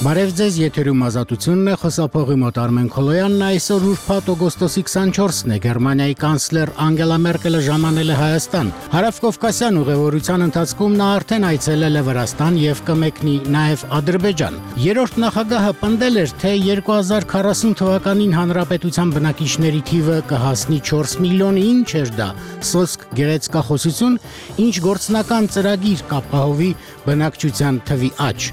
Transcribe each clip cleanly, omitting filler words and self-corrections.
Բարև ձեզ, եթերում ազատությունն է, խոսափողի մոտ Արմեն Քոլոյանն, այսօր ուրբաթ օգոստոսի 24-ն է, Գերմանիայի կանցլեր Անգելա Մերկելը ժամանել է Հայաստան։ Հարավկովկասյան ուղևորության ընթացքում նա արդեն այցելել է Վրաստան եւ կմեկնի նաեւ Ադրբեջան։ Երրորդ նախագահը պնդել էր, թե 2040 թվականին հանրապետության բնակիչների թիվը կհասնի 4 միլիոնի, ինչ էր դա, սոսկ գեղեցկախոսություն, ինչ գործնական ծրագիր կապահովի բնակչության թվի աճ։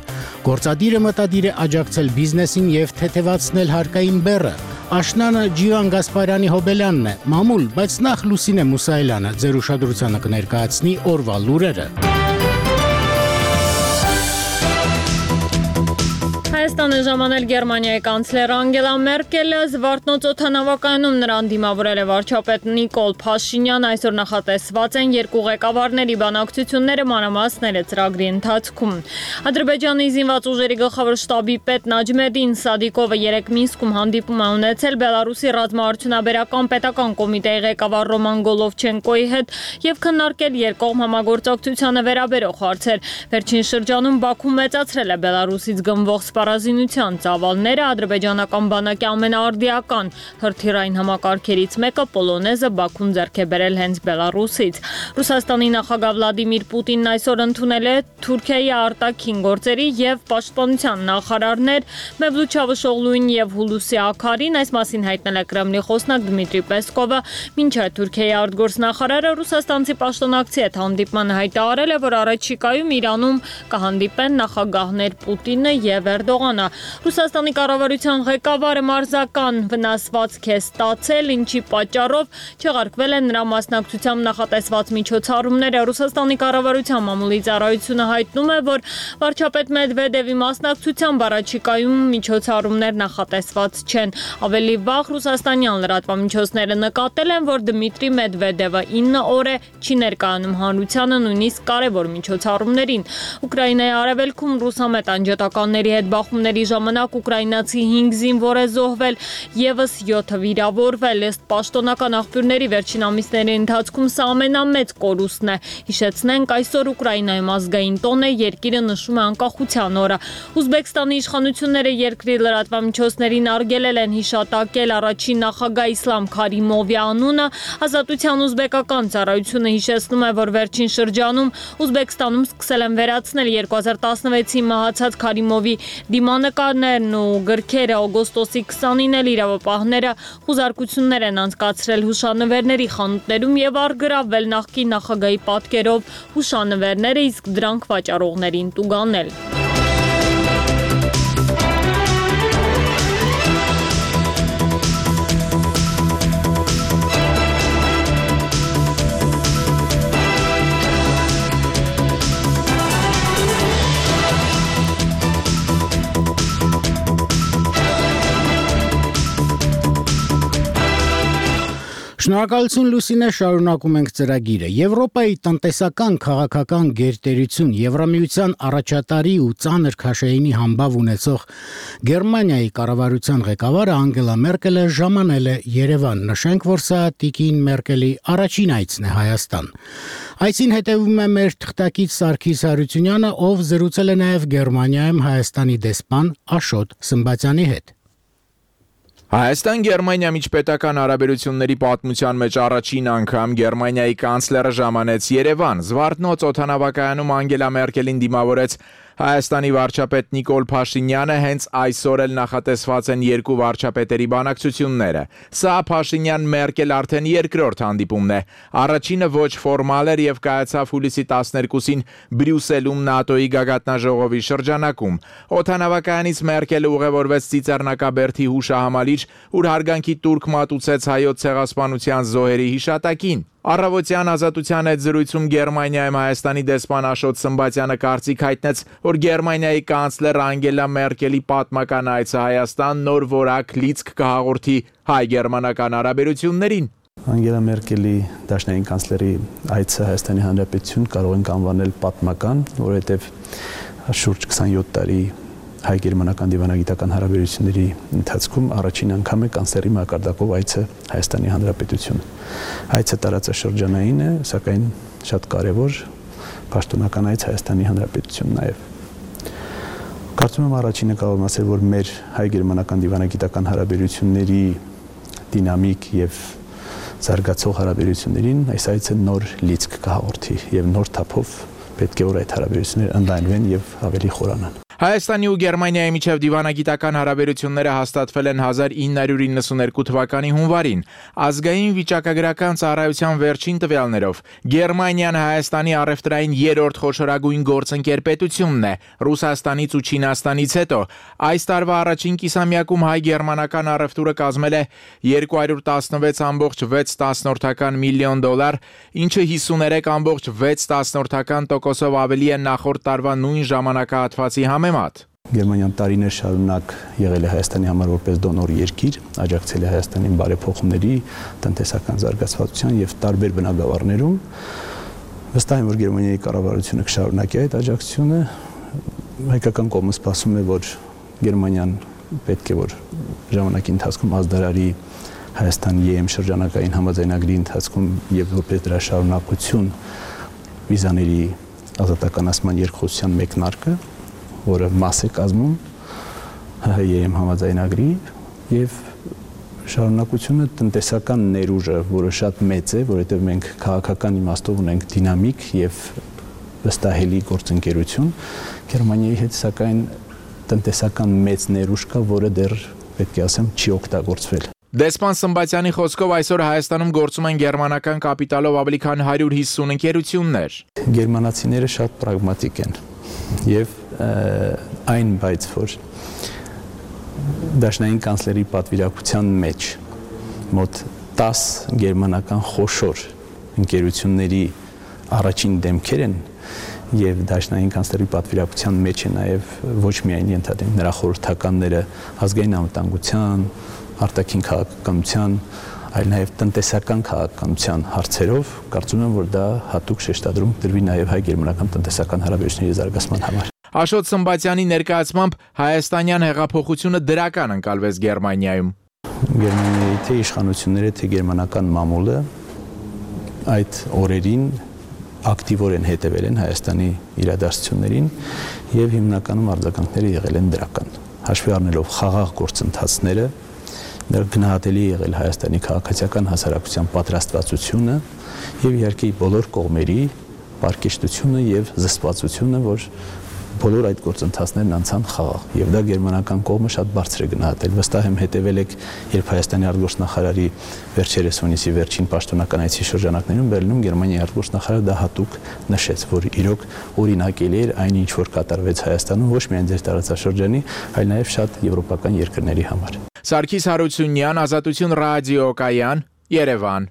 Գործադիրը մտադիր է աջակցել բիզնեսին եւ թեթևացնել հարկային բեռը։ Աշնանը Ջիվան Գասպարյանի Հոբելյանն է, մամուլ, բայց նախ Լուսինե Մուսայելյանը ձեր ուշադրությանը կներկայացնի օրվա լուրերը։ Հայաստանը ժամանել Գերմանիայի կանցլեր Անգելա Մերկելը, Զվարթնոց օդանավակայանում նրան դիմավորել է վարչապետ Նիկոլ Փաշինյան, այսօր նախատեսված են երկու ղեկավարների բանակցությունները մանրամասները ծրագրի ընթացքում։ Ադրբեջանի զինված ուժերի գլխավոր շտաբի պետ Նաջմեդին Սադիկովը երեկ Մինսկում հանդիպում է ունեցել Բելարուսի ռազմաարդյունաբերական պետական կոմիտեի ղեկավար Ռոման Գոլովչենկոյի հետ եւ քննարկել երկկողմ համագործակցությանը վերաբերող հարցեր։ Վերջին շրջանում Բաքուն մեծացրել է Բելարուսից գնվող սպառազինության ծավալները, ադրբեջանական բանակի ամենաարդիական հրթիռային համակարգերից մեկը Պոլոնեզը Բաքուն ձեռք է բերել հենց Բելարուսից։ Ռուսաստանի նախագահ Վլադիմիր Պուտինն այսօր ընդունել է Թուրքիայի արտաքին գործերի եւ պաշտպանության նախարարներ Մևլութ Չավուշօղլուին եւ Հուլուսի Աքարին, այս մասին հայտնել է Կրեմլի խոսնակ Դմիտրի Պեսկովը, մինչդեռ Թուրքիայի արտգործնախարարը ռուսաստանցի պաշտոնակցի հետ հանդիպման հայտարարել է, որ առաջիկայում Իրանում կհանդիպեն նախագահներ Պուտինը եւ Էրդողանը։ Ռուսաստանի կառավարության ղեկավարը մարզական վնասվածք է ստացել, ինչի պատճառով չեղարկվել են նրա մասնակցությամբ նախատեսված միջոցառումները։ Ռուսաստանի կառավարության մամուլի ծառայությունը հայտնում է, որ վարչապետ Մեդվեդևի մասնակցությամբ առաջիկայում միջոցառումներ նախատեսված չեն։ Ավելի վաղ ռուսաստանյան լրատվամիջոցները նկատել են, որ Դմիտրի Մեդվեդևը 9 օր է չի ներկայանում հանրությանը, նույնիսկ կարևոր միջոցառումներին։ Ուկրաինայի արևելքում ռուսամետ անջատականների հետ բախումների ժամանակ ուկրաինացի 5 զինվոր է զոհվել, եւս 7-ը վիրավորվել։ Ըստ պաշտոնական աղբյուրների վերջին ամիսների ընթացքում սա ամենամեծ կորուստն է։ Հիշեցնենք, այսօր Ուկրաինայում ազգային տոն է, երկիրը նշում է անկախության օրը։ Ուզբեկստանի իշխանությունները երկրի լրատվամիջոցներին արգելել են հիշատակել առաջին նախագահ Իսլամ Քարիմովի անունը։ Ազատության ուզբեկական ծառայությունը հիշեցնում է, որ վերջին շրջանում Ուզբեկստանում սկսել են վերացնել 2016-ի մահացած Քարիմովի դիմանկարներն ու գրքերը։ Օգոստոսի 29-ին էլ իրավապահները խուզարկություններ են անցկացրել հուշանվերների խանութներում եւ առգրավվել նախկին նախագահի պատկերով հուշանվերները, իսկ դրանք վաճառողներին տուգանել։ Շնորհակալություն Լուսինե, շարունակում ենք ծրագիրը։ Եվրոպայի տնտեսական քաղաքական գերտերություն, Եվրամիության առաջատարի ու ծանր քաշայինի համբավ ունեցող Գերմանիայի կառավարության ղեկավարը Անգելա Մերկելը ժամանել է Երևան։ Նշենք, որ սա տիկին Մերկելի առաջին այցն է Հայաստան։ Այսին հետևում է մեր թղթակից Սարգիս Հարությունյանը, ով զրուցել է նաև Գերմանիայում Հայաստանի դեսպան Աշոտ Սմբատյանի հետ։ Հայաստան-Գերմանիա միջպետական հարաբերությունների պատմության մեջ առաջին անգամ Գերմանիայի կանցլերը ժամանեց Երևան։ Զվարթնոց օդանավակայանում Անգելա Մերկելին դիմավորեց Հայաստանի վարչապետ Նիկոլ Փաշինյանը, հենց այսօր էլ նախատեսված են երկու վարչապետերի բանակցությունները։ Սա Փաշինյան-Մերկել արդեն երկրորդ հանդիպումն է։ Առաջինը ոչ ֆորմալ էր եւ կայացավ հուլիսի 12-ին Բրյուսելում ՆԱՏՕ-ի գագաթնաժողովի շրջանակում։ Օդանավակայանից Մերկելը ուղևորվեց Ծիծեռնակաբերդի հուշահամալիր, ուր հարգանքի տուրք մատուցեց հայոց ցեղասպանության զոհերի հիշատակին։ Առավոտյան Ազատության հետ զրույցում Գերմանիայում Հայաստանի դեսպան Աշոտ Սմբատյանը կարծիք հայտնեց, որ Գերմանիայի կանցլեր Անգելա Մերկելի պատմական այցը Հայաստան նոր որակ լիցք կհաղորդի հայ-գերմանական հարաբերություններին։ Անգելա Մերկելի դաշնային կանցլերի այցը Հայաստանի Հանրապետություն կարող ենք անվանել պատմական, որովհետև շուրջ 27 տարի հայ-գերմանական դիվանագիտական հարաբերությունների ընթացքում առաջին անգամ է կանցլերի մակարդակով այցը Հայաստանի Հանրապետություն։ Այցը տարածաշրջանային է, սակայն շատ կարևոր պաշտոնական այց Հայաստանի Հանրապետություն նաև։ Կարծում եմ առաջինը կարող եմ ասել, որ մեր հայ-գերմանական դիվանագիտական հարաբերությունների դինամիկ եւ զարգացող հարաբերություններին այս այցը նոր լիցք կհաղորդի եւ նոր թափով պետք է որ այդ հարաբերությունները ընդլայնվեն եւ ավելի խորանան։ Հայաստանի ու Գերմանիայի միջև դիվանագիտական հարաբերությունները հաստատվել են 1992 թվականի հունվարին։ Ազգային վիճակագրական ծառայության վերջին տվյալներով Գերմանիան Հայաստանի առևտրային երրորդ խոշորագույն գործընկեր պետությունն է, Ռուսաստանից ու Չինաստանից հետո։ Այս տարվա առաջին կիսամյակում հայ-գերմանական առևտուրը կազմել է $216.6 միլիոն, ինչը 53.6% ավելի է նախորդ տարվա նույն ժամանակահատվածի համեմատ։ Գերմանիան տարիներ շարունակ եղել է Հայաստանի համար որպես դոնոր երկիր, աջակցել է Հայաստանին բարեփոխումների, տնտեսական զարգացվածության եւ տարբեր բնագավառներում։ Վստահ եմ, որ Գերմանիայի կառավարությունը կշարունակի այդ աջակցությունը։ Հայկական կողմը սպասում է, որ Գերմանիան պետք է որ ժամանակի ընթացքում ազդարարի Հայաստան-ԵՄ շրջանակային համաձայնագրի ընթացքում եւ որպես դրա շարունակություն վիզաների ազատականացման երկխոսության մեկնարկը, որը մաս է կազմում ՀՀ-ԵՄ համաձայնագրի եւ շարունակությունը տնտեսական ներուժը, որը շատ մեծ է, որովհետեւ մենք քաղաքական իմաստով ունենք դինամիկ եւ վստահելի գործընկերություն Գերմանիայի հետ, սակայն տնտեսական մեծ ներուժ կա, որը դեռ պետք է ասեմ չի օգտագործվել։ Դեսպան Սմբատյանի խոսքով այսօր Հայաստանում գործում են գերմանական կապիտալով ավելի քան 150 ընկերություններ։ Գերմանացիները շատ պրագմատիկ են եւ այն բայց որ դաշնային կանցլերի պատվիրակության մեջ մոտ 10 գերմանական խոշոր ընկերությունների առաջին դեմքեր են եւ դաշնային կանցլերի պատվիրակության մեջ է նաեւ ոչ միայն ենթադրենք նրա խորհրդականները ազգային անվտանգության, արտաքին քաղաքականության, այլ նաեւ տնտեսական քաղաքականության հարցերով կարծում եմ որ դա հատուկ շեշտադրում դրվի նաեւ հայ-գերմանական տնտեսական հարաբերությունների զարգացման համար։ Աշոտ Սմբատյանի ներկայացմամբ հայաստանյան հեղափոխությունը դրական ընկալվեց Գերմանիայում։ Գերմանիայի թե իշխանությունները, թե գերմանական մամուլը այդ օրերին ակտիվորեն հետևել են Հայաստանի իրադարձություններին եւ հիմնականում արձագանքները եղել են դրական։ Հաշվի առնելով խաղաղ գործընթացները, գնահատելի եղել Հայաստանի քաղաքացիական հասարակության պատրաստվածությունը եւ իհարկե բոլոր կողմերի պարկեշտությունը եւ զսպվածությունը, որ բոլոր այդ գործընթացներն անցան խաղաղ եւ դա գերմանական կողմը շատ բարձր է գնահատել։ Վստահ եմ հետևել եք, երբ Հայաստանի արտգործնախարարի վերջերս հունիսի վերջին պաշտոնական այցի շրջանակներում Բերլինում Գերմանիայի արտգործնախարարը դա հատուկ նշեց, որ իրոք օրինակելի էր այն ինչ որ կատարվեց Հայաստանում ոչ միայն ձեր տարածաշրջանի, այլ նաեւ շատ եվրոպական երկրների համար։ Սարգիս Հարությունյան, Ազատություն ռադիոկայան, Երևան։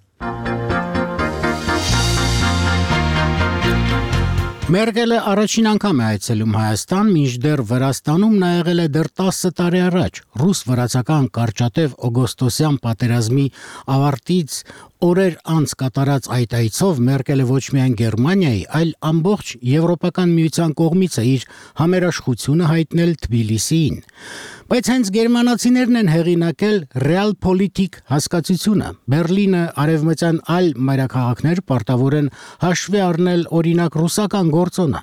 Մերկելը առաջին անգամ է այցելում Հայաստան, մինչդեռ Վրաստանում նա եղել է դեռ 10 տարի առաջ։ Ռուս-վրացական կարճատև օգոստոսյան պատերազմի ավարտից օրեր անց կատարած այդ այցով Մերկելը ոչ միայն Գերմանիայի, այլ ամբողջ Եվրոպական միության կողմից է իր համերաշխությունը հայտնել Թբիլիսիին։ Բայց հենց գերմանացիներն են հեղինակել Realpolitik հասկացությունը։ Բերլինը, արևմտյան այլ մայրաքաղաքներ պարտավոր են հաշվի առնել օրինակ ռուսական գործոնը։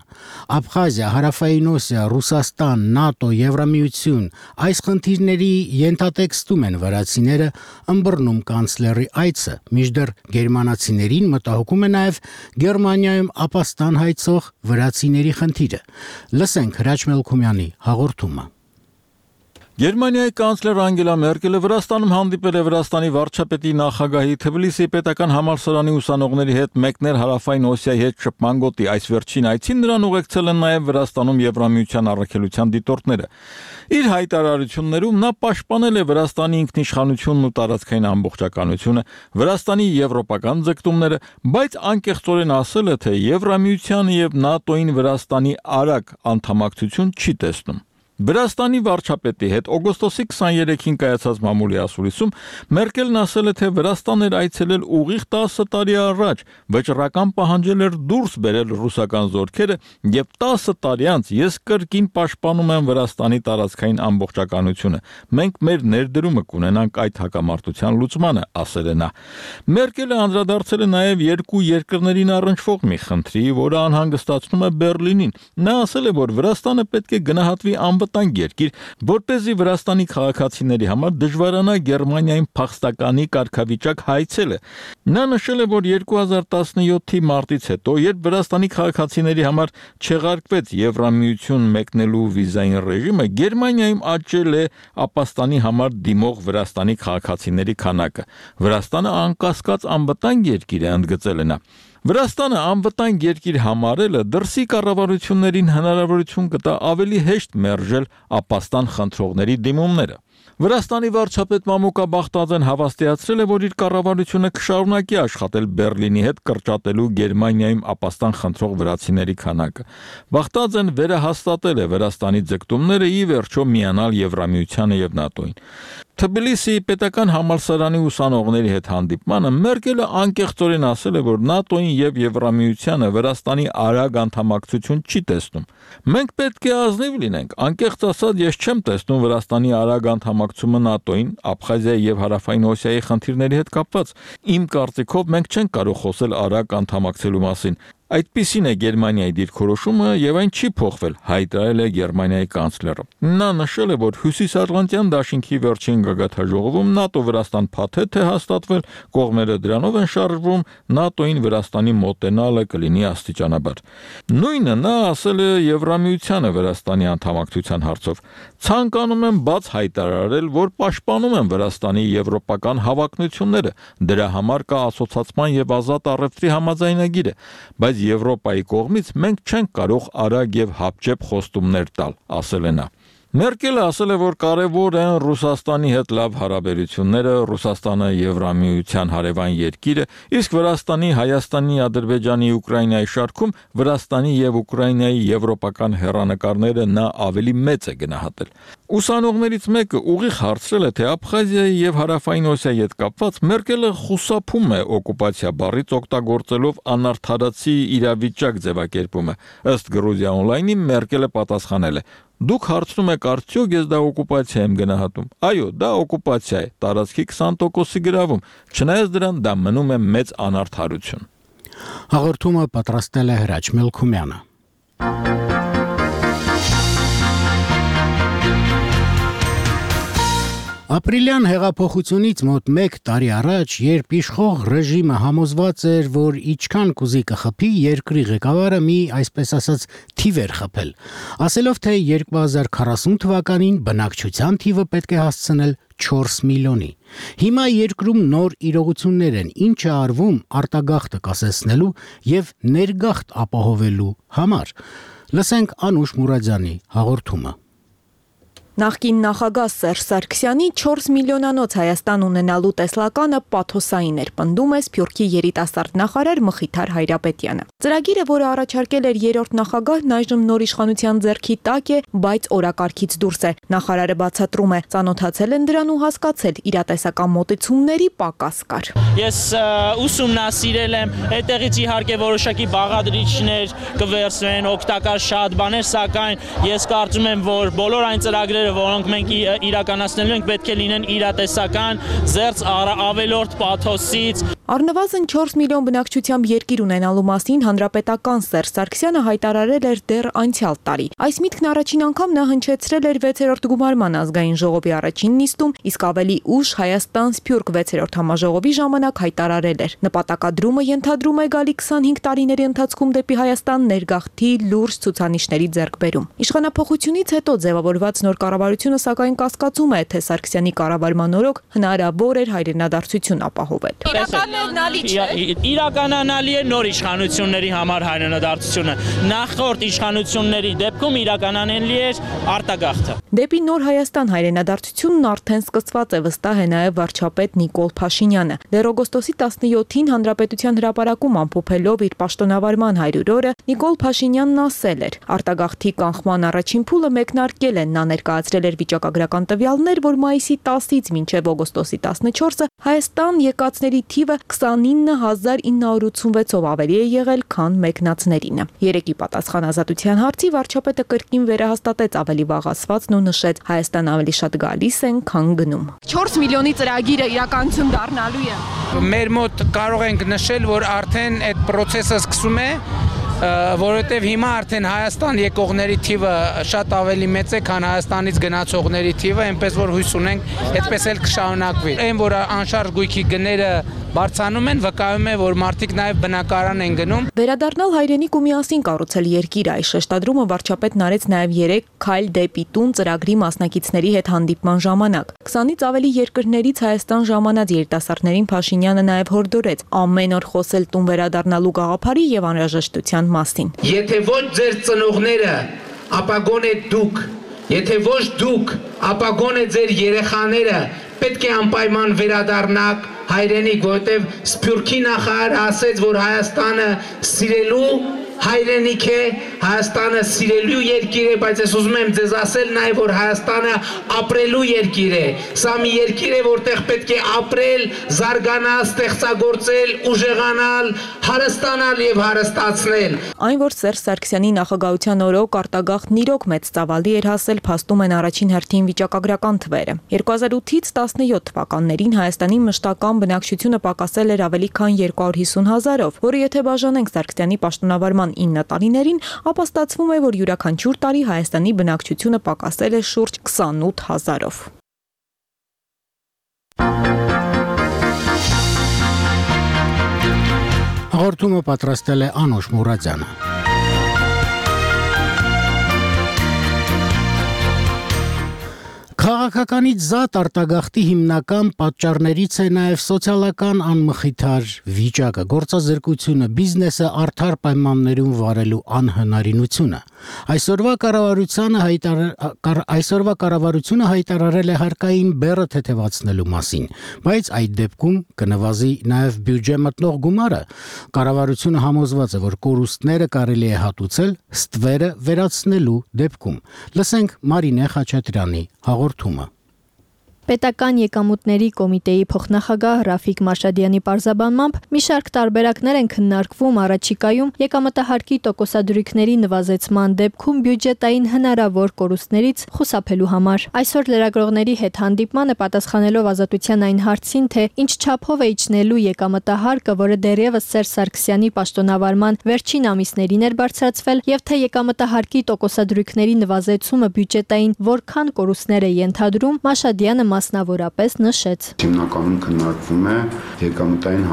Աբխազիա, Հարավային Օսիա, Ռուսաստան, ՆԱՏՕ, Եվրամիություն այս խնդիրների ենթատեքստում են վրացիները ըմբռնում կանցլերի այցը, մինչդեռ գերմանացիներին մտահոգում է նաև Գերմանիայում ապաստան հայցող վրացիների խնդիրը։ Լսենք Հրաչ Մելքումյանի հաղորդումը։ Գերմանիայի կանցլեր Անգելա Մերկելը Վրաստանում հանդիպել է Վրաստանի վարչապետի նախագահի Թբիլիսիի պետական համալսարանի ուսանողների հետ մեկներ Հարավային Օսիայի հետ շփման գոտի։ Այս վերջին այցին նրան ուղեկցել են նաև Վրաստանում Եվրամիության առաքելության դիտորդները։ Իր հայտարարություններում նա պաշտպանել է Վրաստանի ինքնիշխանությունն ու տարածքային ամբողջականությունը, Վրաստանի եվրոպական ձգտումները, բայց անկեղծորեն ասել է, թե Եվրամիությանը եւ ՆԱՏՕ-ին Վրաստանի արագ անդամակցություն չի տեսնում։ Վրաստանի վարչապետի հետ օգոստոսի 23-ին կայացած մամուլի ասուլիսում Մերկելն ասել է, թե Վրաստան էր այցելել ուղիղ 10 տարի առաջ, վճռական պահանջել էր դուրս բերել ռուսական զորքերը եւ 10 տարի անց ես կրկին պաշտպանում եմ Վրաստանի տարածքային ամբողջականությունը։ Մենք մեր ներդրումը կունենանք այդ հակամարտության լուծմանը, ասել է նա։ Մերկելը անդրադարձել է նաեւ երկու երկրներին առնչվող մի խնդրի, որը անհանգստացնում է Բերլինին։ Նա ասել է, որ Վրաստանը պետք է գնահատվի անվտանգ երկիր, որպեսզի Վրաստանի քաղաքացիների համար դժվարանա Գերմանիայում փախստականի կարգավիճակ հայցելը։ Նա նշել է, որ 2017-ի մարտից հետո, երբ Վրաստանի քաղաքացիների համար չեղարկվեց Եվրամիություն մեկնելու վիզային ռեժիմը, Գերմանիայում աճել է ապաստանի համար դիմող Վրաստանի քաղաքացիների քանակը։ Վրաստանը անկասկած անվտանգ երկիր է, ընդգծել է նա։ Վրաստանը անվտանգ երկիր համարելը դրսի կառավարություններին հնարավորություն կտա ավելի հեշտ մերժել ապաստան խնդրողների դիմումները։ Վրաստանի վարչապետ Մամուկա Բախտաձեն հավաստիացրել է, որ իր կառավարությունը կշարունակի աշխատել Բերլինի հետ կրճատելու Գերմանիայում ապաստան խնդրող վրացիների քանակը։ Բախտաձեն վերահաստատել է Վրաստանի ձգտումները ի վերջո միանալ Եվրամիությանը եւ ՆԱՏՕ-ին։ Թբիլիսիի պետական համալսարանի ուսանողների հետ հանդիպմանը Մերկելը անկեղծորեն ասել է, որ ՆԱՏՕ-ին եւ Եվրամիությանը Վրաստանի արագ անդամակցություն չի տեսնում։ Մենք պետք է ազնիվ լինենք, անկեղծ ասած ես չեմ տեսնում Վրաստանի արագ անդամակցումը ՆԱՏՕ-ին, Աբխազիայի եւ Հարավային Օսիայի խնդիրների հետ կապված։ Իմ կարծիքով մենք չենք կարող խոսել արագ անդամակցելու մասին։ Այդպիսին է Գերմանիայի դիրքորոշումը եւ այն չի փոխվել, հայտարարել է Գերմանիայի կանցլերը։ Նա նշել է, որ Հյուսիսատլանտյան դաշինքի վերջին գագաթնաժողովում ՆԱՏՕ-Վրաստան փաթեթ է հաստատվել, կողմերը դրանով են շարժվում, ՆԱՏՕ-ին Վրաստանի մոտենալը կլինի աստիճանաբար։ Նույնը նա ասել է Եվրամիությանը Վրաստանի անդամակցության հարցով։ Ցանկանում եմ բաց հայտարարել, որ պաշտպանում եմ Վրաստանի եվրոպական հավակնությունները։ Դրա համար կա ասոցացման եւ ազատ առևտրի համաձայնագիրը, բայց Եվրոպայի կողմից մենք չենք կարող արագ եւ հապճեպ խոստումներ տալ, ասել է նա։ Մերկելը ասել է, որ կարևոր են Ռուսաստանի հետ լավ հարաբերությունները, Ռուսաստանը Եվրամիության հարևան երկիր է, իսկ Վրաստանի, Հայաստանի, Ադրբեջանի, Ուկրաինայի շարքում Վրաստանի եւ Ուկրաինայի եվրոպական հեռանկարները նա ավելի մեծ է գնահատել։ Ուսանողներից մեկը ուղիղ հարցրել է, թե Աբխազիայի եւ Հարավային Օսիայի հետ կապված Մերկելը խուսափում է օկուպացիա բառից օգտագործելով անարդարացի իրավիճակ ձևակերպումը։ Ըստ Գրուզիա օնլայնի Մերկելը պատասխանել է. Դուք հարցնում եք արդյոք ես դա օկուպացիա եմ գնահատում։ Այո, դա օկուպացիա է, տարածքի 20%-ի գրավում, չնայած դրան դա մնում է մեծ անարդարություն։ Հաղորդումը պատրաստել է Հրաչ Մելքումյանը։ Ապրիլյան հեղափոխությունից մոտ 1 տարի առաջ, երբ իշխող ռեժիմը համոզված էր, որ իչքան կուզի կխփի, երկրի ղեկավարը մի, այսպես ասած, թիվ էր խփել, ասելով, թե 2040 թվականին բնակչության թիվը պետք է հասցնել 4 միլիոնի։ Հիմա երկրում նոր իրողություններ են, ինչը արվում արտագաղթը կասեցնելու եւ ներգաղթ ապահովելու համար։ Լսենք Անուշ Մուրադյանի հաղորդումը։ Նախկին նախագահ Սերժ Սարգսյանի 4 միլիոնանոց Հայաստան ունենալու տեսլականը պաթոսային էր, պնդում է Սփյուռքի երիտասարդ նախարար Մխիթար Հայրապետյանը։ Ծրագիրը, որը առաջարկել էր երրորդ նախագահն, այժմ նոր իշխանության ձեռքի տակ է, բայց օրակարգից դուրս է։ Նախարարը բացատրում է, ծանոթացել են դրան ու հասկացել, իրատեսական մոտեցումների պակաս կար։ Ես ուսումնասիրել եմ, այդտեղից իհարկե որոշակի բաղադրիչներ կվերցվեն, օգտակար շատ բաներ, սակայն ես կարծում եմ, որ բոլոր այն ծրագրերը, որոնք մենք իրականացնելու ենք, պետք է լինեն իրատեսական, զերծ ավելորդ պաթոսից։ Առնվազն 4 միլիոն բնակչությամբ երկիր ունենալու մասին հանրապետական Սերժ Սարգսյանը հայտարարել էր դեռ անցյալ տարի։ Այս միտքն առաջին անգամ նա հնչեցրել էր 6-րդ գումարման ազգային ժողովի առաջին նիստում, իսկ ավելի ուշ Հայաստան-Սփյուռք 6-րդ համաժողովի ժամանակ հայտարարել էր։ Նպատակադրումը ենթադրում է գալի 25 տարիների ընթացքում դեպի Հայաստան ներգաղթի լուրջ ցուցանիշների ձեռքբերում։ Իշխանափոխությունից հետո ձևավորված նոր կառավարությունը սակայն կասկածում է, թե Սարգսյանի կառավարման օրոք հնարավոր էր հայրենադարձություն ապահովել։ Իրականանալի է նոր իշխանությունների համար հայրենադարձությունը։ Նախորդ իշխանությունների դեպքում իրականանելի էր արտագաղթը։ Դեպի նոր Հայաստան հայրենադարձությունն արդեն սկսված է, վստահ է նաև վարչապետ Նիկոլ Փաշինյանը։ Դեռ օգոստոսի 17-ին Հանրապետության հրապարակում ամփոփելով իր պաշտոնավարման 100 օրը, Նիկոլ Փաշինյանն ասել էր. արտագաղթի կանխման առաջին փուլը մեկնարկել են, նա ներկայացրել էր վիճակագրական տվյալներ, որ մայիսի 10-ից մինչև օգոստոսի 14-ը Հայաստան եկածների թիվը 29986-ով ավելի է եղել, քան մեկնածներինը։ Երեկի պատասխան ազատության հարցի վարչապետը կրկին վերահաստատեց ավելի վաղ ասվածն ու նշեց. Հայաստան ավելի շատ գալիս են, քան գնում։ 4 միլիոնի ծրագիրը իրականություն դառնալու է։ Մեր մոտ կարող ենք նշել, որ արդեն այդ process-ը սկսում է որովհետև հիմա արդեն Հայաստան եկողների թիվը շատ ավելի մեծ է, քան Հայաստանից գնացողների թիվը, այնպես որ հույս ունենք, այդպես էլ կշարունակվի։ Այն որ անշարժ գույքի գները բարձրանում են, վկայում է, որ մարդիկ նաև բնակարան են գնում։ Վերադառնալ հայրենիք ու միասին կառուցել երկիր այս շեշտադրումը վարչապետն արեց նաև 3 քայլ դեպի տուն ծրագրի մասնակիցների հետ հանդիպման ժամանակ։ 20-ից ավելի երկրներից Հայաստան ժամանած երիտասարդներին Փաշինյանը նաև հորդորեց ամեն օր խոսել տուն վերադառնալու գաղափարի եւ անհրաժեշտության մասին։ Եթե ոչ ձեր ծնողները, ապա գոնե դուք, եթե ոչ դուք, ապա գոնե ձեր երեխաները պետք է անպայման վերադառնաք հայրենիք, որովհետև Սփյուռքի նախարարը ասեց, որ Հայաստանը սիրելու հայրենիք է, Հայաստանը սիրելու երկիր է, բայց ես ուզում եմ ձեզ ասել նաև, որ Հայաստանը ապրելու երկիր է։ Սա մի երկիր է, որտեղ պետք է ապրել, զարգանալ, ստեղծագործել, ուժեղանալ, հարստանալ եւ հարստացնել։ Այն, որ Սերժ Սարգսյանի նախագահության օրոք արտագաղթն իրոք մեծ ծավալի էր հասել, փաստում են առաջին հերթին վիճակագրական թվերը։ 2008-ից 17 թվականներին Հայաստանի մշտական բնակչությունը պակասել էր ավելի քան 250,000-ով, որը եթե բաժանենք Սարգսյանի պաշտոնավարման 9 տարիներին, ապա ստացվում է, որ յուրաքանչյուր տարի Հայաստանի բնակչությունը պակասել է շուրջ 28,000-ով։ Հաղորդումը պատրաստել է Անուշ Մուրադյանը։ Քաղաքականից զատ արտագաղթի հիմնական պատճառներից է նաև սոցիալական անմխիթար վիճակը, գործազրկությունը, բիզնեսը արդար պայմաններում վարելու անհնարինությունը։ Այսօրվա կառավարությունը հայտարարել է հարկային բեռը թեթևացնելու մասին, բայց այդ դեպքում կնվազի նաև բյուջե մտնող գումարը։ Կառավարությունը համոզված է, որ կորուստները կարելի է հատուցել ստվերը վերացնելու դեպքում։ Լսենք Մարինե Խաչատրյանի հաղորդումը։ Պետական եկամուտների կոմիտեի փոխնախագահ Ռաֆիկ Մարշադյանի պարզաբանմամբ մի շարք տարբերակներ են քննարկվում առաջիկայում եկամտահարկի տոկոսադրույքների նվազեցման դեպքում բյուջետային հնարավոր կորուստներից խուսափելու համար։ Այսօր լրագրողների հետ հանդիպմանը պատասխանելով Ազատության այն հարցին, թե ինչ չափով է իջնելու եկամտահարկը, որը դեռևս Սերժ Սարգսյանի պաշտոնավարման վերջին ամիսներին էր բարձրացվել, եւ թե եկամտահարկի տոկոսադրույքների նվազեցումը բյուջետային որքան կորուստներ է ենթադրում, Մարշադյանը մասնավորապես նշեց. Հիմնականում քննարկվում է եկամտային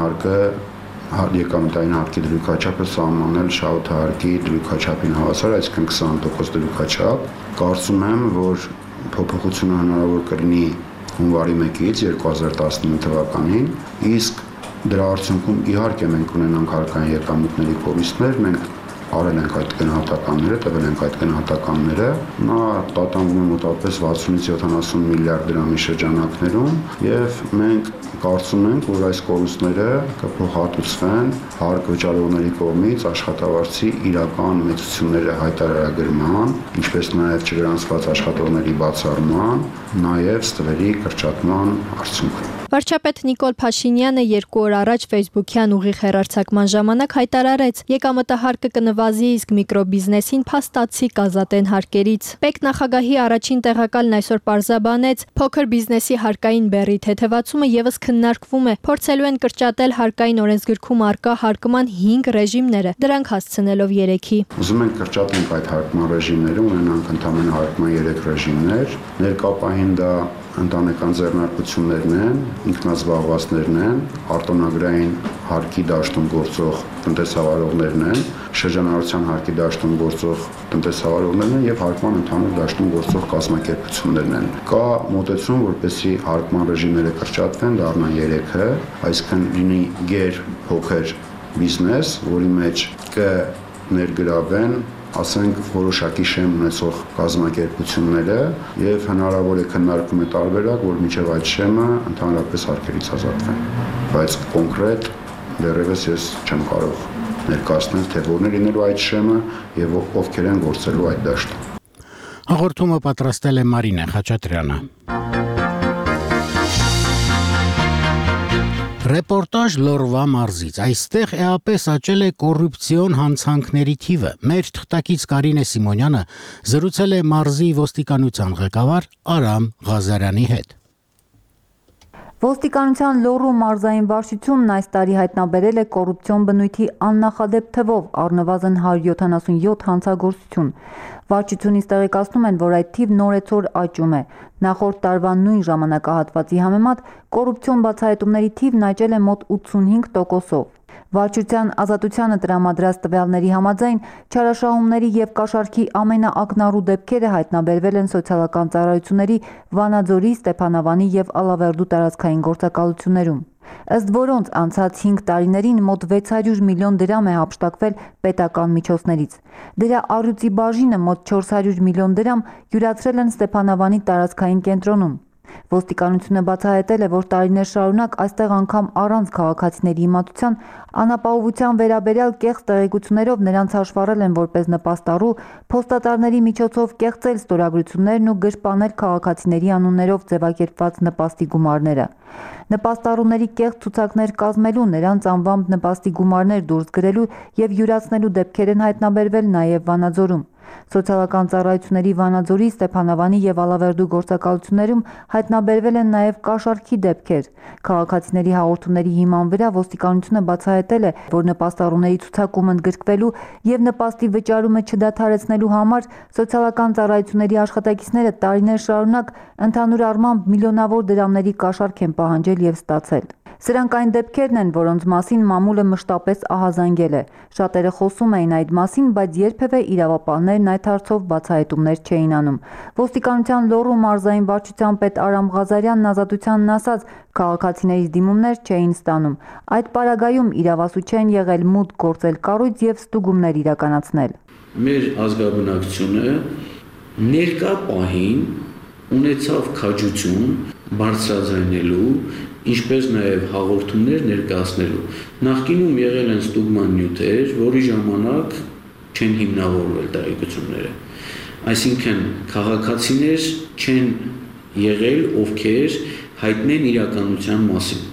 հարկի դրույքաչափը սահմանել շահութահարկի դրույքաչափին հավասար, այսինքն 20% դրույքաչափ։ Կարծում եմ, որ փոփոխությունը հնարավոր կլինի հունվարի 1-ից 2019 թվականին, իսկ դրա արդյունքում իհարկե մենք ունենանք հարկային եկամուտների կորուստներ, մենք արել ենք այդ գնահատականները, տվել ենք այդ գնահատականները, նա տատանվում է մոտավորապես 60-ից 70 միլիարդ դրամի շրջանակներում եւ մենք կարծում ենք, որ այս կորուստները կփոխհատուցվեն հարկ վճարողների կողմից աշխատավարձի իրական մեծությունները հայտարարագրման, ինչպես նաեւ չգրանցված աշխատողների բացառման, նաեւ ստվերի կրճատման արդյունքում։ Վարչապետ Նիկոլ Փաշինյանը 2 օր առաջ Facebook-յան ուղիղ հեռարձակման ժամանակ հայտարարեց. եկամտահարկը կնվազի, իսկ միկրոբիզնեսին փաստացի կազատեն հարկերից։ ՊԵԿ նախագահի առաջին տեղակալն այսօր պարզաբանեց, փոքր բիզնեսի հարկային բեռի թեթևացումը եւս քննարկվում է, փորձելու են կրճատել հարկային օրենսգրքում առկա հարկման 5 ռեժիմները, դրանք հասցնելով 3-ի։ Ուզում ենք կրճատենք այդ հարկման ռեժիմները, ունենանք ընդհանրապես հարկման 3 ռեժիմներ, ներկապահին դա ընտանեկան ձեռնարկություններն են, ինքնազբաղվածներն են, արտոնագրային հարկի դաշտում գործող տնտեսավարողներն են, շրջանառության հարկի դաշտում գործող տնտեսավարողներն են եւ հարկման ընդհանուր դաշտում գործող կազմակերպություններն են։ Կա մոտեցում, որպեսզի հարկման ռեժիմները կրճատվեն, դառնան 3-ը, այսինքն լինի գեր փոքր բիզնես, որի մեջ կներգրավեն ասենք որոշակի շեմ ունեցող կազմակերպությունները եւ հնարավոր է քննարկում է տարբերակ, որ միջև այդ շեմը ընդհանրապես հարկերից ազատվեն։ Բայց կոնկրետ դեռևս ես չեմ կարող ներկայացնել, թե որն է լինելու այդ շեմը եւ ովքեր են գործելու այդ դաշտը։ Հաղորդումը պատրաստել է Մարինե Խաչատրյանը։ Ռեպորտաժ Լորվա մարզից։ Այստեղ էապես աճել է կոռուպցիոն հանցանքների թիվը։ Մեր թղթակից Կարինե Սիմոնյանը զրուցել է մարզի ոստիկանության ղեկավար Արամ Ղազարյանի հետ։ Ոստիկանության Լոռու մարզային վարչությունն այս տարի հայտնաբերել է կոռուպցիոն բնույթի աննախադեպ թվով առնվազն 177 հանցագործություն։ Վարչությունից տեղեկացնում են, որ այդ թիվն օրեցօր աճում է։ Նախորդ տարվա նույն ժամանակահատվածի համեմատ կոռուպցիոն բացահայտումների թիվն աճել է մոտ 85%-ով։ Վարչության ազատությանը տրամադրած տվյալների համաձայն չարաշահումների եւ կաշառքի ամենաակնառու դեպքերը հայտնաբերվել են սոցիալական ծառայությունների Վանաձորի, Ստեփանավանի եւ Ալավերդու տարածքային գործակալություններում, ըստ որոնց անցած 5 տարիներին մոտ 600 միլիոն դրամ է հափշտակվել պետական միջոցներից։ Դրա առյուծի բաժինը մոտ 400 միլիոն դրամ յուրացրել են Ստեփանավանի տարածքային կենտրոնում։ Ոստիկանությունը բացահայտել է, որ տարիներ շարունակ այստեղ անգամ առանց քաղաքացիների իմացության անապահովության վերաբերյալ կեղծ տեղեկություններով նրանց հաշվառել են որպես նպաստառու, փոստատարների միջոցով կեղծել ստորագրություններն ու գրպանել քաղաքացիների անուններով ձևակերպված նպաստի գումարները։ Նպաստառուների կեղծ ցուցակներ կազմելու, նրանց անվամբ նպաստի գումարներ դուրս գրելու եւ յուրացնելու դեպքեր են հայտնաբերվել նաեւ Վանաձորում։ Սոցիալական ծառայությունների Վանաձորի, Ստեփանավանի եւ Ալավերդու գործակալություններում հայտնաբերվել են նաեւ կաշառքի դեպքեր։ Քաղաքացիների հաղորդումների հիման վրա ոստիկանությունը բացահայտել է, որ նպաստառուների ցուցակում ընդգրկվելու եւ նպաստի վճարումը չդադարեցնելու համար սոցիալական ծառայությունների աշխատակիցները տարիներ շարունակ ընդհանուր առմամբ միլիոնավոր դրամների կաշառք են պահանջել եւ ստացել։ Սրանք այն դեպքերն են, որոնց մասին մամուլը մշտապես ահազանգել է։ Շատերը խոսում էին այդ մասին, բայց երբևէ իրավապահներն այդ հարցով բացահայտումներ չէին անում։ Ոստիկանության Լոռու մարզային վարչության պետ Արամ Ղազարյանն ազատությանն ասաց, քաղաքացիներից դիմումներ չէին ստանում։ Այդ պարագայում իրավասու չեն եղել մուտք գործել կառույց եւ ստուգումներ իրականացնել։ Մեր ազգաբնակչությունը ներկա պահին ունեցավ քաջություն բարձրաձայնելու, ինչպես նաև հաղորդումներ ներկայացնելու։ Նախկինում եղել են ստուգման նյութեր, որի ժամանակ չեն հիմնավորվել տեղեկությունները։ Այսինքն քաղաքացիներ չեն եղել, ովքեր հայտնեն իրականության մասին։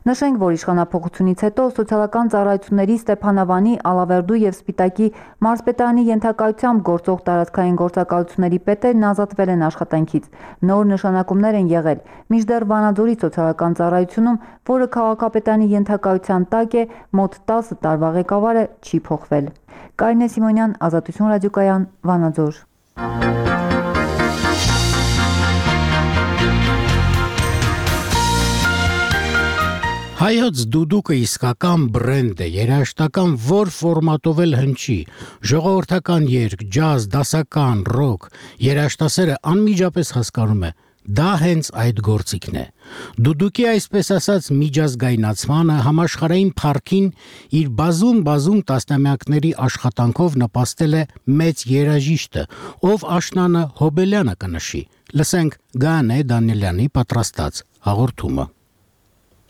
Նշենք, որ իշխանափոխությունից հետո սոցիալական ծառայությունների Ստեփանավանի, Ալավերդու եւ Սպիտակի մարզպետարանի ենթակայությամբ գործող տարածքային գործակալությունների պետերն ազատվել են աշխատանքից։ Նոր նշանակումներ են եղել։ Մինչդեռ Վանաձորի սոցիալական ծառայությունում, որը քաղաքապետարանի ենթակայության տակ է, մոտ 10 տարվա ղեկավարը չի փոխվել։ Կարինե Սիմոնյան, Ազատություն ռադիոկայան, Վանաձոր։ Հայոց դուդուկը իսկական բրենդ է, երաժշտական որ ֆորմատով էլ հնչի, ժողովրդական երգ, ջազ, դասական, ռոք, երաժշտասերը անմիջապես հասկանում է, դա հենց այդ գործիքն է։ Դուդուկի այսպես ասած միջազգայնացմանը համաշխարհային փառքին իր բազում տասնամյակների աշխատանքով նպաստել է մեծ երաժիշտը, ով աշնանը Հոբելյանը կնշի։ Լսենք Գանե Դանիելյանի պատրաստած հաղորդումը։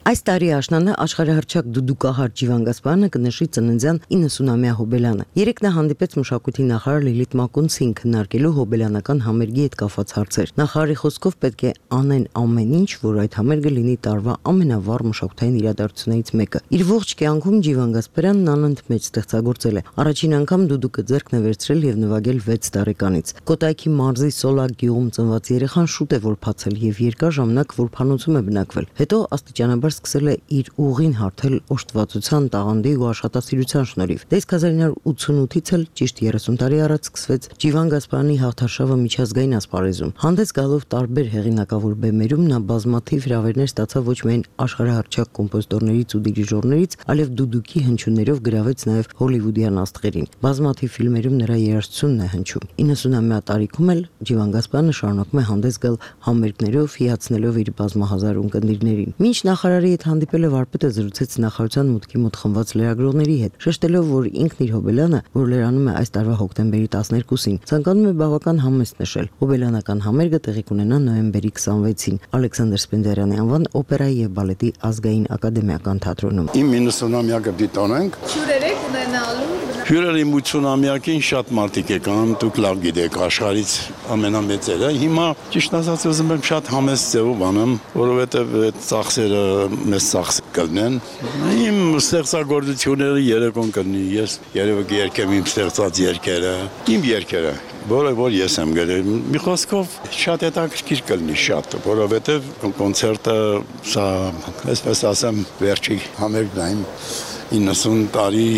Այս տարի աշնանը աշխարհահռչակ դուդուկահար Ջիվան Գասպարյանը կնշի ծննդյան 90-ամյա Հոբելյանը։ Երեկ նա հանդիպեց մշակույթի նախարար Լիլիթ Մակոնցին քննարկելու հոբելյանական համերգի հետ կապված հարցեր։ Նախարարի խոսքով պետք է անեն ամեն ինչ, որ այդ համերգը լինի տարվա ամենավառ մշակութային իրադարձություններից մեկը։ Իր ողջ կյանքում Ջիվան Գասպարյանն անընդմեջ ստեղծագործել է։ Առաջին անգամ դուդուկը ձեռքն է վերցրել եւ նվագել 6 տարեկանից։ Կոտայքի մարզի Սոլակ գյուղում ծնված երեխան շուտ է որ բացել եւ երկար ժամանակ որփանոցում է բնակվել։ Հետո աստիճանաբար սկսել է իր ուղին հարթել օժտվածության, տաղանդի ու աշխատասիրության շնորհիվ։ Դե 1988-ից էլ ճիշտ 30 տարի առաջ սկսվեց Ջիվան Գասպարյանի հաղթարշավը միջազգային ասպարեզում։ Հանդես գալով տարբեր հեղինակավոր բեմերում նա բազմաթիվ հրավերներ ստացավ ոչ միայն աշխարհահռչակ կոմպոզիտորներից ու դիրիժորներից, այլև դուդուկի հնչյուններով գրավեց նաև հոլիվուդյան աստղերին։ Բազմաթիվ ֆիլմերում նրա երաժշտությունն է հնչում։ 90-ամյա տարիքում էլ Ջիվան Գասպարյանը շարունակում է հանդես գալ համերգներով, հիացնելով իր բազմահազար ունկնդիրներին։ Մինչ նախարարի հետ հանդիպել է վարպետը զրուցեց նախարարության մուտքի մոտ խմբված լրագրողների հետ, շեշտելով, որ ինքն իր Հոբելյանը, որ լրանում է այս տարվա հոկտեմբերի 12-ին, ցանկանում է բավական համեստ նշել։ Հոբելյանական համերգը տեղի կունենա նոյեմբերի 26-ին Ալեքսանդր Սպենդիարյանի անվան օպերայի եւ բալետի ազգային ակադեմիական թատրոնում։ Իմ 90-ամյակը դիտոնենք։ Հյուրեր եք ունենալու։ Հյուրերի 80-ամյակին շատ մարդիկ եկան, դուք լավ գիտեք, աշխարհից ամենամեծերը։ Հիմա ճիշտ ասած ուզում եմ շատ համեստ ձևով անեմ, որովհետեւ այդ ծախսերը մեծ ծախս կլինեն։ Իմ ստեղծագործությունները երեկոն կլինի, ես երևի երգեմ իմ ստեղծած երգերը, իմ երգերը։ որը որ ես եմ գրել։ Մի խոսքով շատ հետաքրքիր կլինի շատ, որովհետև կոնցերտը սա, այսպես ասեմ, վերջի համերգային 90 տարի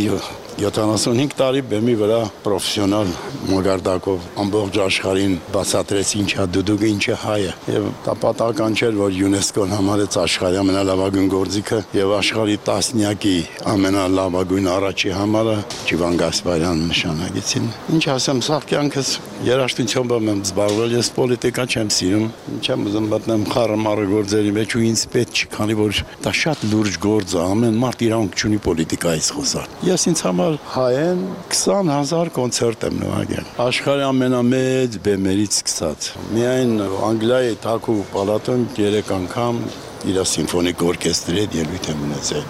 75 տարի բեմի վրա պրոֆեսիոնալ մագարտակով ամբողջ աշխարհին բացատրեց ինչա դուդուկը ինչը հայը եւ դա պատահական չէր որ ՅՈՒՆԵՍԿՕ-ն համարեց աշխարհի ամենալավագույն գործիքը եւ աշխարհի տասնյակի ամենալավագույն առաջի համարը Ջիվան Գասպարյանն նշանակեցին ինչ ասեմ սա կյանքս երաժշտությամբ եմ զբաղվել ես պոլիտիկա չեմ սիրում չեմ ուզում մտնեմ խառը գործերի մեջ ու ինձ պետք չի քանի որ դա շատ լուրջ գործ է ամեն մարդ իրանք չունի պոլիտիկայից խոսալ ես ինձ հայեն 20,000 կոնցերտ եմ նվագել։ Աշխարհի ամենամեծ բեմերից սկսած։ Միայն Անգլիայի Թաքու պալատում 3 անգամ իր սիմֆոնիկ օրկեստրի հետ ելույթ եմ ունեցել։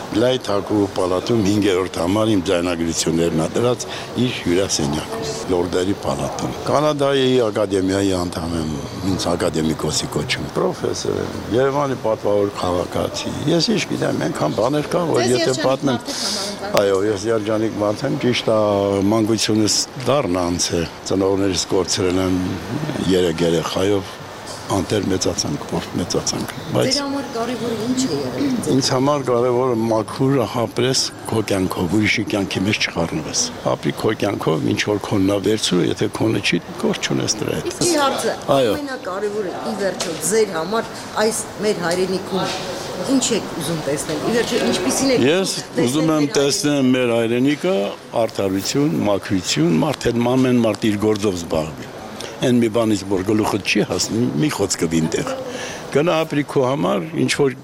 Անգլիայի Թաքու պալատում 5-րդ համար իմ ձայնագրություններն ադրած իր հյուրասենյակում, Լորդերի պալատում։ Կանադայի ակադեմիայի անդամ եմ, ինձ ակադեմիկոսի կոչում, պրոֆեսոր եմ, Երևանի պատվավոր քաղաքացի։ Ես ինչ գիտեմ, այնքան բաներ կա, որ եթե պատմեմ Այո, ես երջանիկ մարդ եմ, ճիշտ է, մանկությունս դառն անց է, ծնողներիս կորցրել եմ 3 երեխայով, անտեր մեծացանք, որդ մեծացանք, բայց Ձեր համար կարևորը ինչ է եղել։ Ինձ համար կարևորը մաքուր հապրես քո կյանքով, ուրիշի կյանքի մեջ չխառնվես։ Ապրի քո կյանքով, ինչ որ քոնն է վերցրու, եթե քոնը չի, գործ չունես դրա հետ։ Իսկ հարցը ամենակարևորը ի վերջո ձեր համար այս մեր հայրենիքում ինչ եք ուզում տեսնել։ Ի վերջո ինչպիսին եք Ես ուզում եմ տեսնել մեր հայրենիքը արդարություն, մաքրություն, մարդը ամեն մարդ իր գործով զբաղվի։ Այն մի բանից որ գլուխը չի հասնի, մի խոսքը վինտեղ։ Գնա ապրի քո համար, ինչ որ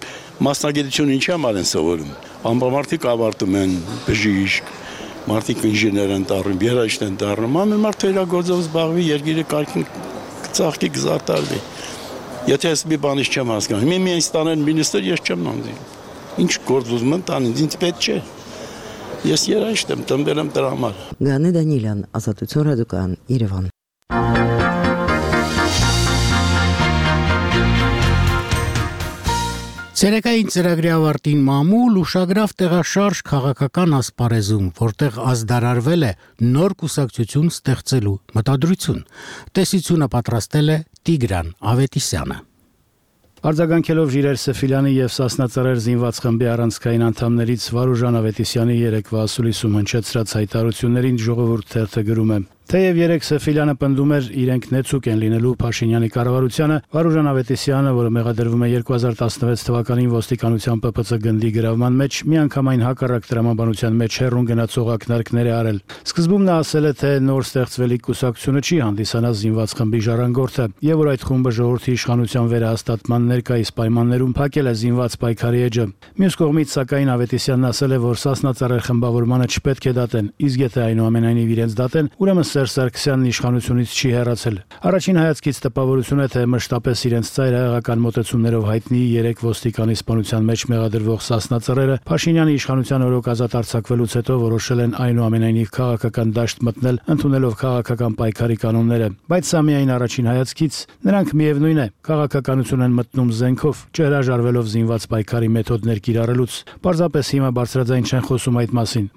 մասնագիտություն ինչի համար են սովորում։ Ամբամարտիկ ավարտում են բժիշկ, մարդիկ ինժեներ են դառնում, երաժիշտ են դառնում, ամեն մարդ իր գործով զբաղվի, երկիրը կարգին ծաղկի գզարտարվի։ Եթե ես մի բանից չեմ հասկանում, միայն ստանեն մինիստր ես չեմ նամդի։ Ինչ գործ ուզում են տան, ինձ պետք չէ։ Ես երաժիշտ եմ, տնվել եմ դրա համար։ Գանե Դանիելյան, Ազատություն ռադիոկայան, Երևան։ Ցերեկային ծրագրի ավարտին մամուլ ուշագրավ տեղաշարժ քաղաքական ասպարեզում, որտեղ ազդարարվել է նոր կուսակցություն ստեղծելու մտադրություն։ Տեսությունը պատրաստել է Տիգրան Ավետիսյանը։ Արձագանքելով Ժիրայր Սեֆիլյանի եւ Սասնա Ծռեր զինված խմբի առանցքային անդամներից Վարուժան Ավետիսյանի երեկվա ասուլիսում հնչեցրած հայտարարություններին ժողովուրդ թերթը գրում է. Թեև երեք Սեֆիլյանը պնդում էր իրենք նեցուկ են լինելու Փաշինյանի կառավարությանը, Վարուժան Ավետիսյանը, որը մեղադրվում է 2016 թվականին ոստիկանության ՊՊՑ գնդի գրավման մեջ, միանգամայն հակառակ տրամաբանության մեջ հեռուն գնացող ակնարկներ է արել։ Սկզբում նա ասել է, թե նոր ստեղծվելիք կուսակցությունը չի հանդիսանա զինված խմբի ժառանգորդը, եւ որ այդ խումբը ժողովրդի իշխանության վերահաստատման ներկայիս պայմաններում փակել է զինված պայքարի էջը։ Մյուս կողմից, սակայն, Ավետիսյանն ասել է, որ Սասնա Ծռեր խմբավորմանը չպետք է դատեն, իսկ եթե այնուամենայնիվ իրենց դատեն, ուրեմն Սերժ Սարգսյանն իշխանությունից չի հեռացել։ Առաջին հայացքից տպավորություն է, թե մշտապես իրենց ծայրահեղական մոտեցումներով հայտնի 3 ոստիկանի սպանության մեջ մեղադրվող Սասնա Ծռերը Փաշինյանի իշխանության օրոք ազատ արձակվելուց հետո որոշել են այնուամենայնիվ քաղաքական դաշտ մտնել, ընդունելով քաղաքական պայքարի կանոնները։ Բայց սա միայն առաջին հայացքից, նրանք միևնույն է, քաղաքականություն են մտնում զենքով, չհրաժարվելով զինված պայքարի մեթոդներ կիրառելուց։ Պարզապես հիմա բարձրաձայն չեն խոսում այդ մասին։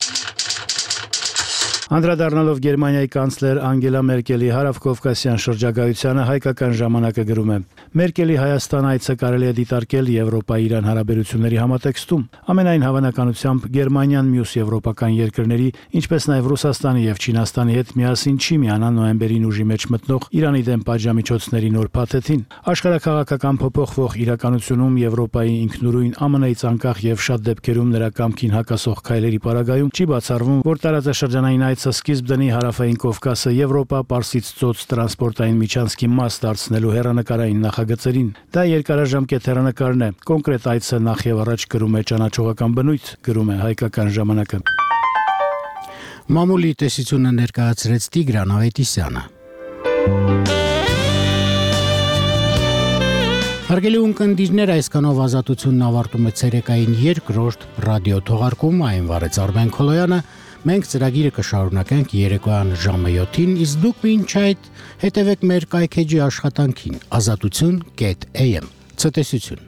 Անդրադառնալով Գերմանիայի կանցլեր Անգելա Մերկելի հարավկովկասյան շրջագայությանը հայկական ժամանակը գրում է. Մերկելի Հայաստան այցը կարելի է դիտարկել Եվրոպա-Իրան հարաբերությունների համատեքստում։ Ամենայն հավանականությամբ Գերմանիան մյուս եվրոպական երկրների, ինչպես նաև Ռուսաստանի եւ Չինաստանի հետ միասին չի միանա նոյեմբերին ուժի մեջ մտնող Իրանի դեմ պատժամիջոցների նոր փաթեթին։ Աշխարհակաղակական փոփոխվող իրականությունում Եվրոպայի ինքնուրույն ԱՄՆ-ից անկախ եւ շատ դեպքերում նրա կամքին հակասող քայլերի պարագայում չի բացառվում, որ տարածաշրջանային այցը սկիզբ դնի հարավային Կովկասը Եվրոպա-Պարսից ծոց տրանսպորտային միջանցքի մաս դարձնելու հեռանկարային նախագծերին։ Դա երկարաժամկետ հեռանկարն է։ Կոնկրետ այցը նախ եւ առաջ կրում է ճանաչողական բնույթ, գրում է հայկական ժամանակը։ Մամուլի տեսությունը ներկայացրեց Տիգրան Ավետիսյանը։ Հարգելի ունկնդիրներ, այսքանով Ազատությունն ավարտում է ցերեկային երկրորդ ռադիո թողարկումը, այն վարեց Արմեն Քոլոյանը։ Մենք ծրագիրը կշարունակենք երեկոյան ժամը 7-ին, իսկ դուք մինչ այդ հետևեք մեր կայքեջի աշխատանքին azatutun.am։ Ցտեսություն։